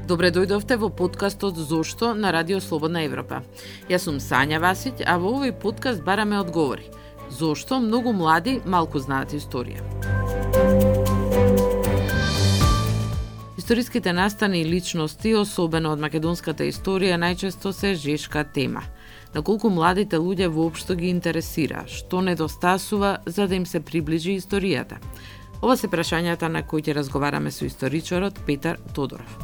Добре дојдовте во подкастот Зошто на Радио Слободна Европа. Јас сум Сања Васиќ, а во овој подкаст бараме одговори. Зошто многу млади малку знаат историја? Историските настани и личности, особено од македонската историја, најчесто се жешка тема. На колку младите луѓе воопшто ги интересира, што недостасува за да им се приближи историјата? Ова се прашањата на кои ќе разговараме со историчарот Петар Тодоров.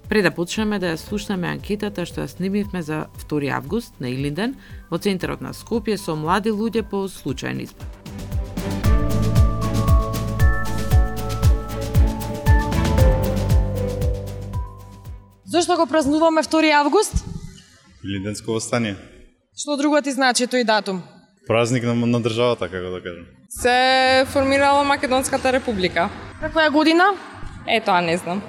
Пред да почнеме да ја слушнеме анкетата што ја снимивме за 2 август на Илинден во центарот на Скопје со млади луѓе по случајен избор. Зошто го празнуваме 2 август? Илинденско восстание. Што друго ти значи тој датум? Празник на државата, како да кажем. Се формирала Македонската република. Каква е година? Тоа не знам.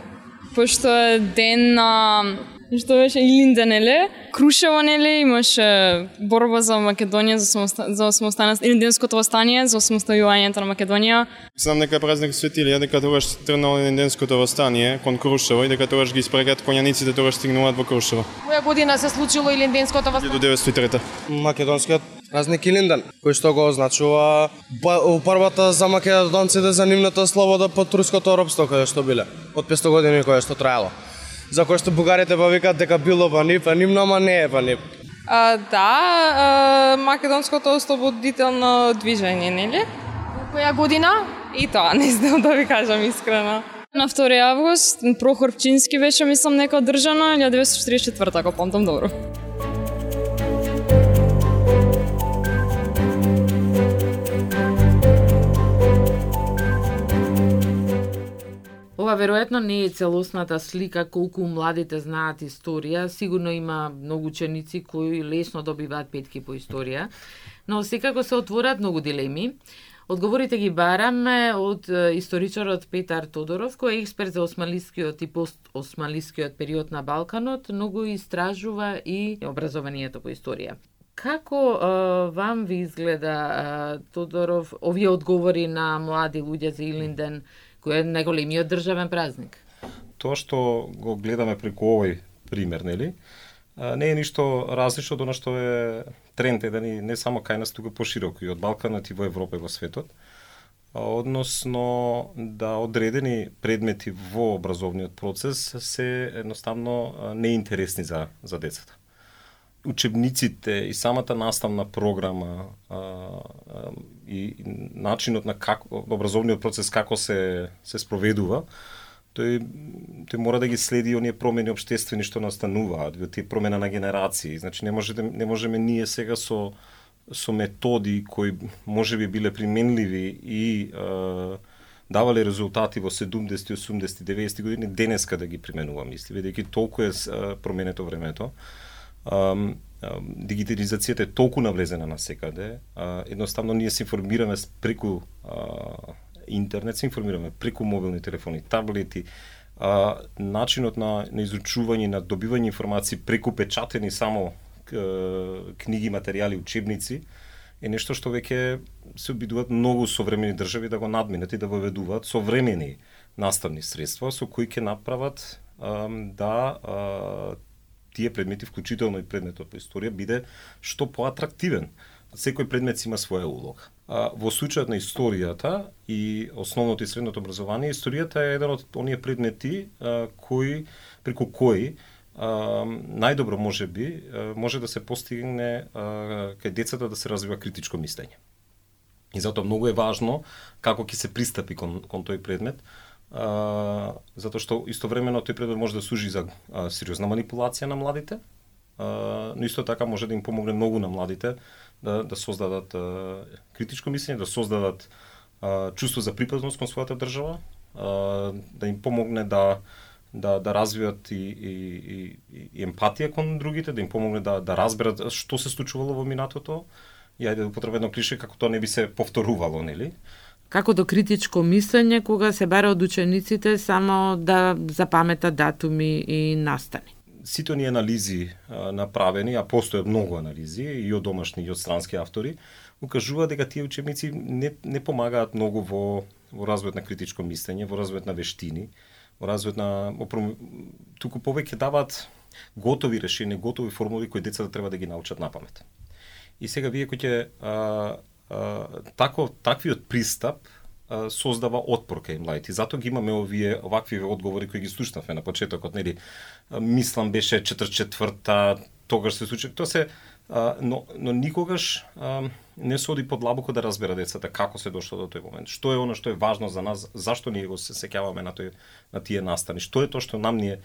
Пошто е ден на... Што беше Илинден, нели? Крушево, нели? Имаше борба за Македонија, за самостанност, Илинденското восстание, за самостојувањето на Македонија. Знам дека празник Свети Илија, дека тогаш тргнало Илинденското восстание кон Крушево и дека тогаш ги испрегат конјаниците, тогаш стигнуваат во Крушево. Која година се случило Илинденското восстание? 1903. Македонскиот празник Илинден, кој што го означува упорбата за македонците за нивната слобода под турското робство кое што биле, од 500 години кое што траело. За кој што бугарите па викаат дека било па нивно, ама не е па нив. Македонското ослободително движење, нели? Која година? И тоа не знам да ви кажам искрено. На 2 август Прохор Пчински беше, мислам, нека одржано, 1944, ако помнам добро. Ова веројатно не е целосната слика колку младите знаат историја. Сигурно има многу ученици кои лесно добиваат петки по историја, но секако се отворат многу дилеми. Одговорите ги бараме од историчарот Петар Тодоров, кој е експерт за османлискиот и постосманлискиот период на Балканот, но го истражува и образованието по историја. Како вам ви изгледа, Тодоров, овие одговори на млади луѓе за Илинден, кој е најголемиот државен празник? Тоа што го гледаме преку овој пример, нели? Не е ништо различно од она што е тренд еден и не само кај нас, туку пошироко и од Балканот и во Европа и во светот. Односно да одредени предмети во образовниот процес се едноставно неинтересни за децата. Учебниците и самата наставна програма и начинот на образовниот процес како се спроведува, тој мора да ги следи оние промени општествени што настануваат, тие промена на генерации. Значи не можеме ние сега со методи кои можеби биле применливи и давале резултати во 70, 80, 90 години денеска да ги применуваме, бидејќи толку е променето времето. Дигитализацијата е толку навлезена на секаде, едноставно ние се информираме преку интернет, се информираме преку мобилни телефони, таблети, начинот на изучување, на добивање информации преку печатени само книги, материјали, учебници, е нешто што веќе се обидуваат многу современи држави да го надминат и да воведуваат современи наставни средства со кои ќе направат да тие предмети, вклучително и предметот по историја, биде што поатрактивен. Секој предмет има своја улога. Во случајот на историјата и основното и средното образование, историјата е еден од оние предмети преку кои најдобро може да се постигне кај децата да се развива критичко мислење. И затоа многу е важно како ќе се пристапи кон тој предмет, затоа што истовремено тој предмет може да служи за сериозна манипулација на младите, но исто така може да им помогне многу на младите да создадат критичко мислење, да создадат чувство за припадност кон својата држава, да им помогне да развијат и емпатија кон другите, да им помогне да разберат што се случувало во минатото и ајде да употребам едно клише како тоа не би се повторувало, нели? Како до критичко мислење кога се бара од учениците само да запаметат датуми и настани? Сите оние анализи направени, а постојат многу анализи и од домашни и од странски автори, укажуваат дека тие учебници не помагаат многу во развојот на критичко мислење, во развојот на вештини, во развојот на туку повеќе даваат готови решенија, готови формули кои децата треба да ги научат на памет. И сега вие кој ќе таквиот пристап создава отпор кај младите. Затоа ги имаме овакви одговори кои ги слушнавме на почетокот, нели? Мислам беше 44-та, тогаш се случи. Тоа се но никогаш не се оди подлабоко да разбера децата како се дошло до тој момент. Што е она што е важно за нас, зашто ние го се сеќаваме на тие настани, што е тоа што нам ни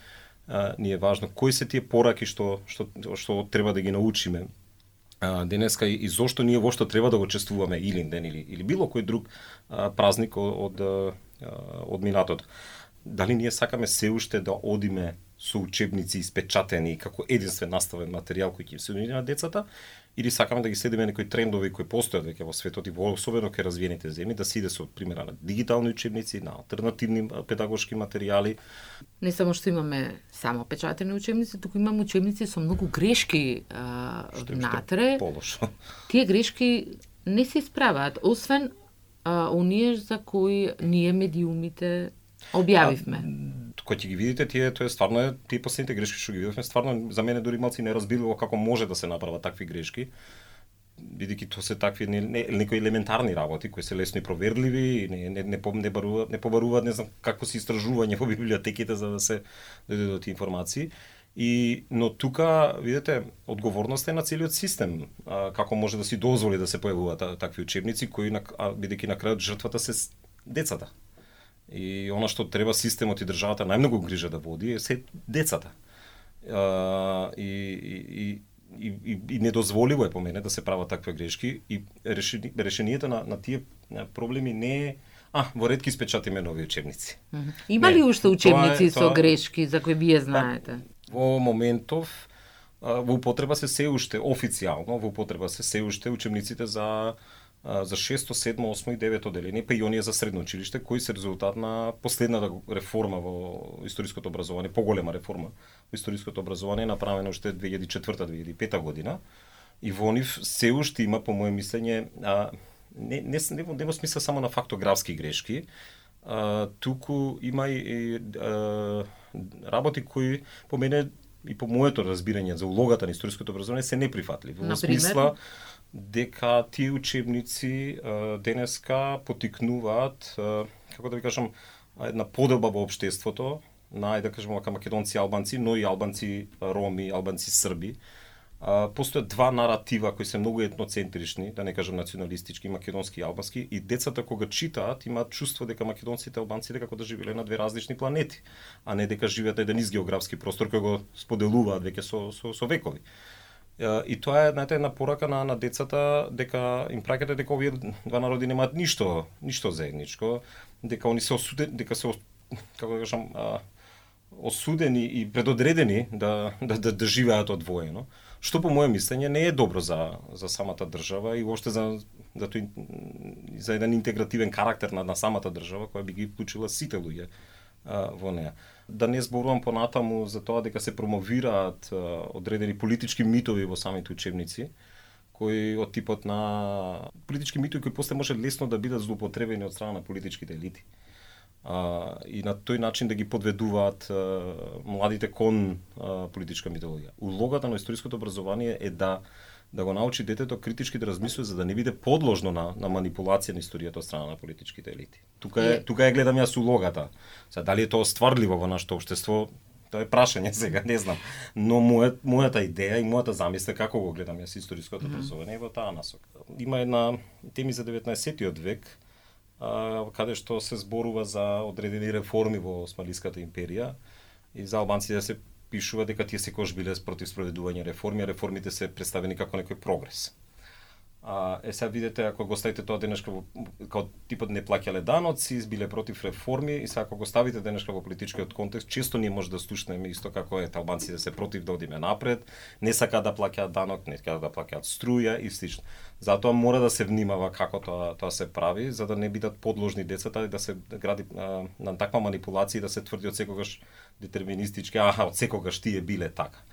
е важно, кои се тие пораки што треба да ги научиме денеска и зошто ние воопшто треба да го чествуваме Илинден или било кој друг празник од минатото. Дали ние сакаме се уште да одиме со учебници испечатени како единствен наставен материјал кој ќе се нуди на децата, или сакаме да ги следиме некои трендови кои постојат веќе во светот и особено кај развиените земји, да се иде со примера на дигитални учебници, на алтернативни педагошки материјали. Не само што имаме само печатени учебници, туку имаме учебници со многу грешки внатре. Полошо. Тие грешки не се исправаат, освен оние за кои ние медиумите објавивме. Кој ќе ги видите тие стварно тие последните грешки што ги видовме, стварно за мене дури малци неразбирливо како може да се направат такви грешки, бидејќи тоа се такви некои елементарни работи кои се лесно и проверливи, не побаруваат не знам какво се истражување во библиотеките за да се дојде до тие информации. Но тука, видите, одговорноста е на целиот систем, како може да си дозволи да се појавуваат такви учебници кои бидејќи на крајот жртвата се децата. И она што треба системот и државата најмногу грижа да води е се децата. И недозволиво е по мене да се прават такви грешки и решението на тие проблеми не е во ред ки испечатиме нови учебници. Има ли уште учебници со грешки за кои вие знаете? Во моментов во употреба се уште официјално, во употреба се уште учебниците за 6, 7, 8 и 9 одделение, па и оние за средно училиште, кои се резултат на последната реформа во историското образование, поголема реформа во историското образование, направена уште 2004-2005 година. И во нив се уште има, по моје мислење, не во смисла само на фактографски грешки, туку има и работи кои по мене и по моето разбирање за улогата на историското образование се неприфатливи. Во смисла дека тие учебници денеска потикнуваат, како да ви кажам, една поделба во општеството на, да кажем, македонци, албанци, но и албанци, роми, албанци, срби. Постојат два наратива кои се многу етноцентрични, да не кажам националистички, македонски и албански, и децата кога читаат имаат чувство дека македонците и албанците како да живееле на две различни планети, а не дека живеат на еден ист географски простор кој го споделуваат веќе со векови. И тоа е една порака на децата дека им праќате дека овие два народи немаат ништо заедничко, дека они се како да кажам осудени и предодредени да живеат одвоено, што по моје мислење не е добро за самата држава и воопште за еден интегративен карактер на самата држава која би ги вклучила сите луѓе во неа. Да не зборувам понатаму за тоа дека се промовираат одредени политички митови во самите учебници, кои од типот на политички митови кои после може лесно да бидат злоупотребени од страна на политичките елити. И на тој начин да ги подведуваат младите кон политичка митологија. Улогата на историското образование е да го научи детето критички да размислува за да не биде подложно на манипулација на историјата од страна на политичките елити. Тука ја гледам јас улогата. Сега дали е тоа стварливо во нашето општество, тоа е прашање сега, не знам. Но мојата идеја и мојата замисла како го гледам јас историското образование во таа насока. Има една теми за 19-тиот век каде што се зборува за одредени реформи во Османлиската империја и за албанците да се пишува дека тие секогаш биле против спроведување реформи, а реформите се представени како некој прогрес. Сега видите, ако го ставите тоа денешка како типот не плаќале даноци, биле против реформи, и сега ако го ставите денешка во политичкиот контекст, често ние може да слушнеме исто како албанците се против да одиме напред, не сакаат да плаќаат данок, не сакаат да плаќаат струја и слично. Затоа мора да се внимава како тоа се прави, за да не бидат подложни децата и да се гради на таква манипулација и да се тврди од секогаш детерминистички, од секогаш тие биле така.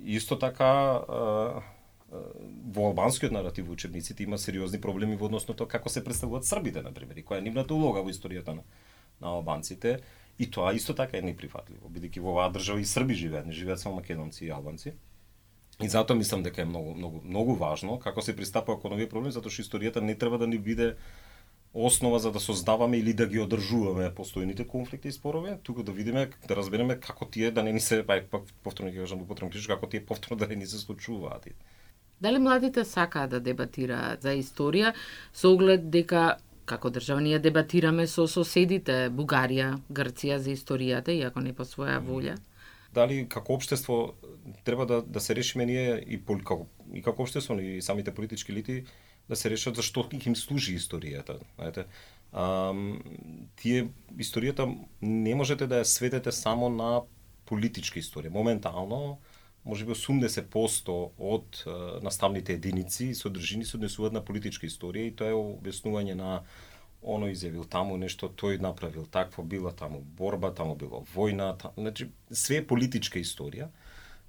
Исто така во албанскиот наратив во учебниците има сериозни проблеми во однос на тоа како се представуваат србите, на пример, и која е нивната улога во историјата на албанците, и тоа исто така е неприфатливо, бидејќи во оваа држава и Срби живеат, не живеат само македонци и албанци. И затоа мислам дека е многу важно како се пристапува кон овие проблеми, затоа што историјата не треба да ни биде основа за да создаваме или да ги одржуваме постојните конфликти и спорови, туку да видиме, да разбереме како тие да не ни се, повторно ќе кажам, како тие повторно да не ни се случуваат. Дали младите сакаат да дебатираат за историја со оглед дека како држава ние дебатираме со соседите Бугарија, Грција за историјата, иако не по своја волја? Дали како општество треба да се решиме ние и како општество и самите политички елити да се решат зашто им служи историјата. Знаете, историјата не можете да ја сведете само на политичка историја. Моментално, можеби 80% од наставните единици и содржини се однесуваат на политичка историја, и тоа е објаснување на оно изјавил таму нешто, тој направил такво, била таму борба, таму било војна, значи све е политичка историја.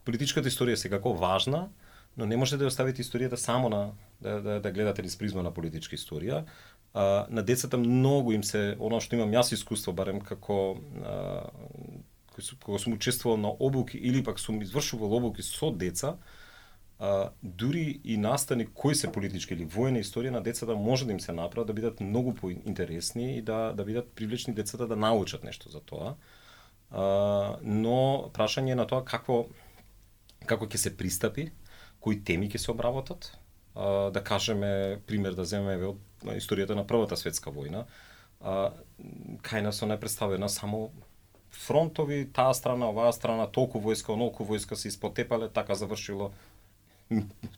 Политичката историја е секако важна, но не можете да ја оставите историјата само на да гледате низ призма на политичка историја. На децата многу им се, оно што имам јас искуство, барем како кога сум учествувал на обуки или пак сум извршувал обуки со деца, дури и настани кои се политички или војна историја на децата може да им се направат да бидат многу поинтересни и да бидат привлечни децата да научат нешто за тоа. Но прашање на тоа како ќе се пристапи, кои теми ќе се обработат. Да кажеме, пример да земеме од историјата на Првата светска војна, кај нас не представена само фронтови, таа страна, оваа страна, толку војска, онолку војска се испотепале, така завршило,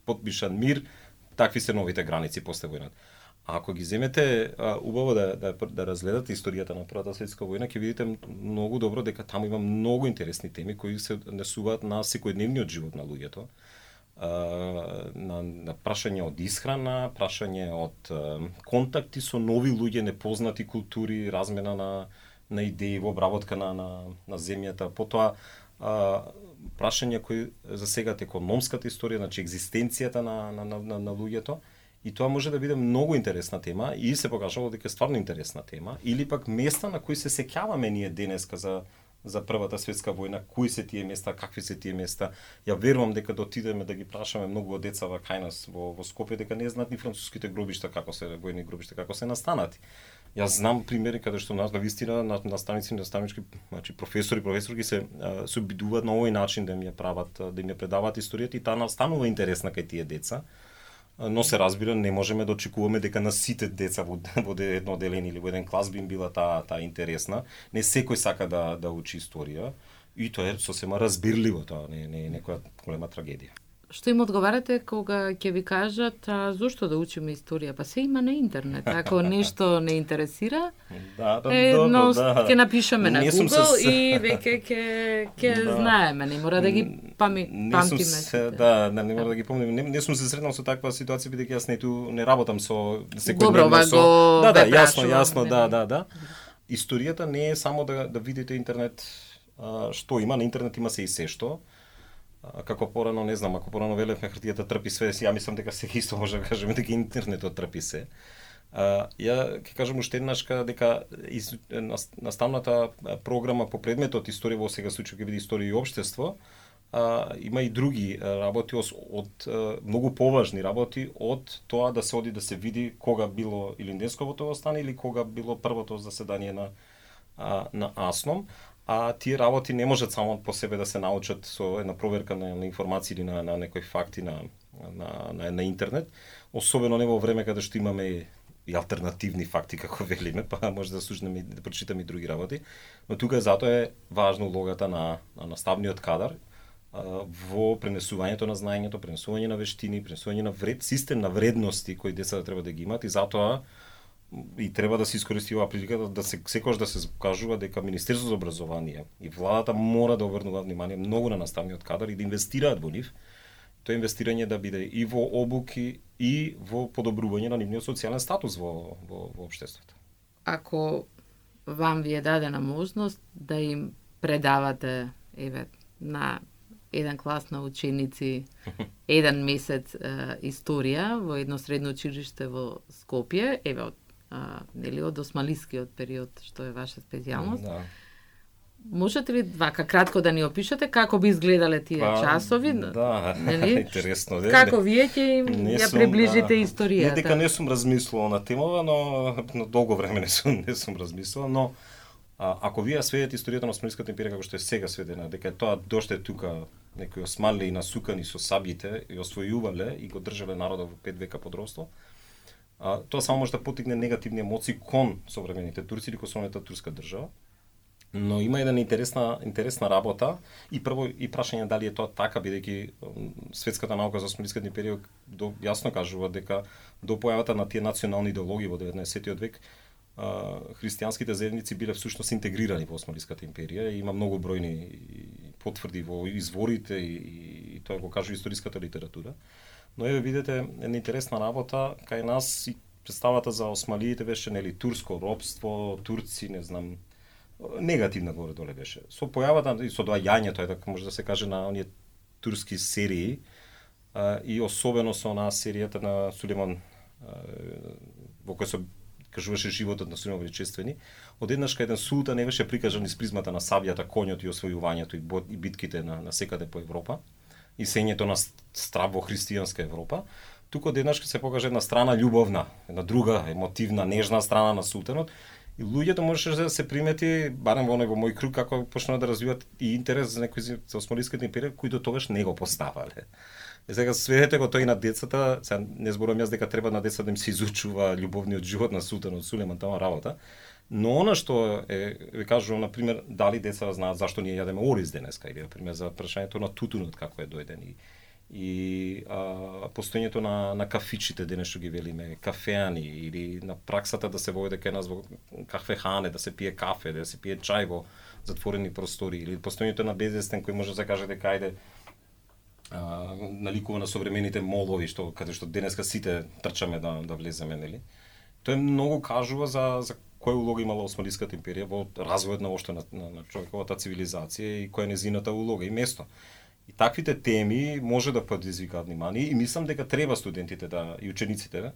подпишан мир, такви се новите граници после војната. А ако ги земете убаво да разгледате историјата на Првата светска војна, ќе видите многу добро дека таму има многу интересни теми кои се однесуваат на секојдневниот живот на луѓето. На прашање од исхрана, прашање од контакти со нови луѓе, непознати култури, размена на идеи во обработка на земјата, потоа прашања кои засегат економската историја, значи екзистенцијата на луѓето, и тоа може да биде многу интересна тема и се покажало дека е стварно интересна тема, или пак места на кои се сеќаваме ние денеска за Првата светска војна, кои се тие места, какви се тие места. Ја верувам дека да отидеме да ги прашаме многу од деца кај нас во Скопје дека не знаат ни француските гробишта како се војни гробишта како се настанати. Јас знам примери каде што нас навистина наставници, наставнички, значи професорки се обидуваат на овој начин да им ја прават, да им ја предаваат историјата и таа настанува интересна кај тие деца. Но се разбира, не можеме да очекуваме дека на сите деца во едно одделение или во еден клас би им била таа интересна. Не секој сака да учи историја и тоа е сосема разбирливо, тоа не е некоја голема трагедија. Што им одговарате кога ќе ви кажат зошто да учиме историја? Па се има на интернет. Ако нешто не интересира, ќе напишеме на Google и веќе ќе знаеме, не мора да ги памтиме. Не мора да ги помним. Не сум се сретнал со таква ситуација бидејќи јас не работам со секојдневно со. Јасно, Историјата не е само да видите интернет што има, на интернет има се и се што. Како порано, не знам, ако порано велевме хартијата трпи све, ја мислам дека се исто може да кажеме дека интернетот трпи се. Ја ќе кажам уште еднаш дека наставната програма по предметот историја во сега случај ќе биде историја и општество, има и други работи од многу поважни работи од тоа да се оди да се види кога било Илинденсковото востание или кога било првото заседание на АСНОМ. А тие работи не можат само по себе да се научат со една проверка на информации или на некои факти на интернет, особено не во време каде што имаме и алтернативни факти, како велиме, па може да слушнеме и да прочитаме и други работи, но тука затоа е важна улогата на наставниот кадар во пренесувањето на знаењето, пренесување на вештини, пренесување на систем на вредности кои децата треба да ги имат, и затоа и треба да се искористи оваа прилика да се секогаш да се покажува дека Министерството за образование и владата мора да обрнуваат внимание многу на наставниот кадар и да инвестираат во нив. Тоа инвестирање да биде и во обуки и во подобрување на нивниот социјален статус во општеството. Ако вам ви е дадена можност да им предавате на еден клас на ученици еден месец историја во едно средно училиште во Скопје, од нели од османлискиот период, што е ваша специјалност. Да. Можете ли вака кратко да ни опишете како би изгледале тие часови? Да, нели? интересно. Како вие ќе им ја приближите историјата? Не дека не сум размислувал на темава, но долго време не сум размислувал, но ако вие сведете историјата на Османлиската империја како што е сега сведена, дека тоа доште тука некои османли и насукани со сабите и освојувале и го држале народот во 5 века под робство, тоа само може да потигне негативни емоции кон современите турци или кон современата турска држава. Но има една интересна работа и прво и прашање дали е тоа така, бидејќи светската наука за Османлиската империја јасно кажува дека до појавата на тие национални идеологии во 19 век христијанските заедници биле всушност интегрирани во Османлиската империја и има многу бројни потврди во изворите и тоа го кажува историската литература. Но еве видите една интересна работа кај нас и представата за осмалиите беше нели турско робство, турци, не знам, негативна горе доле беше. Со појавата и со доаѓањето, така може да се каже, на оние турски серии и особено со онаа серијата на Сулейман во која се кажуваше животот на Сулейман Величествени, одеднаш кај еден султан не беше прикажан из призмата на сабјата, коњот и освојувањето и битките на секаде по Европа и сењето на страв во христијанска Европа, туку одеднаш се покаже една страна љубовна, една друга емотивна, нежна страна на султанот. И луѓето можеше да се примети, барем во мој круг, како почнаа да развиваат и интерес за некои за Османлиската империја, кои до тогаш не го поставале. И сега сведете го тој на децата, сега не зборувам јас дека треба на децата да им се изучува љубовниот живот на султанот Сулейман, таа работа, но она што ви кажувам, на пример, дали деца знаат зашто ние јадеме ориз денеска, или на пример за прашањето на тутунот како е дојден и постоењето на кафичите денес што ги велиме кафеани или на праксата да се војде кај нас во кафехане, да се пие кафе, да се пие чај во затворени простори или постоењето на безвестен кој може да се каже дека ајде наликува на современите молови каде што денеска сите трчаме да влеземе, нели? Тоа многу кажува за која улога имала Османлиската империја во развојот на човековата цивилизација и која е незината улога и место. И таквите теми може да предизвикаат внимание и мислам дека треба студентите и учениците,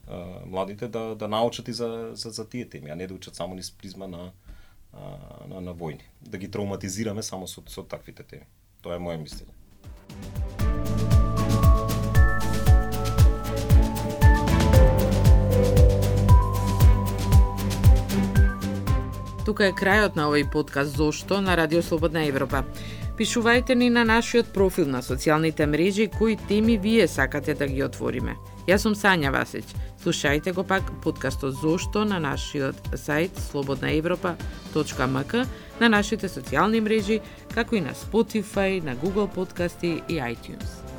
младите да научат и за тие теми, а не да учат само низ призма на војни. Да ги травматизираме само со таквите теми. Тоа е моје мислење. Тука е крајот на овој подкаст Зошто на Радио Слободна Европа. Пишувајте ни на нашиот профил на социјалните мрежи кои теми вие сакате да ги отвориме. Јас сум Сања Васич. Слушајте го пак подкастот Зошто на нашиот сајт slobodnaevropa.mk, на нашите социјални мрежи, како и на Spotify, на Google подкасти и iTunes.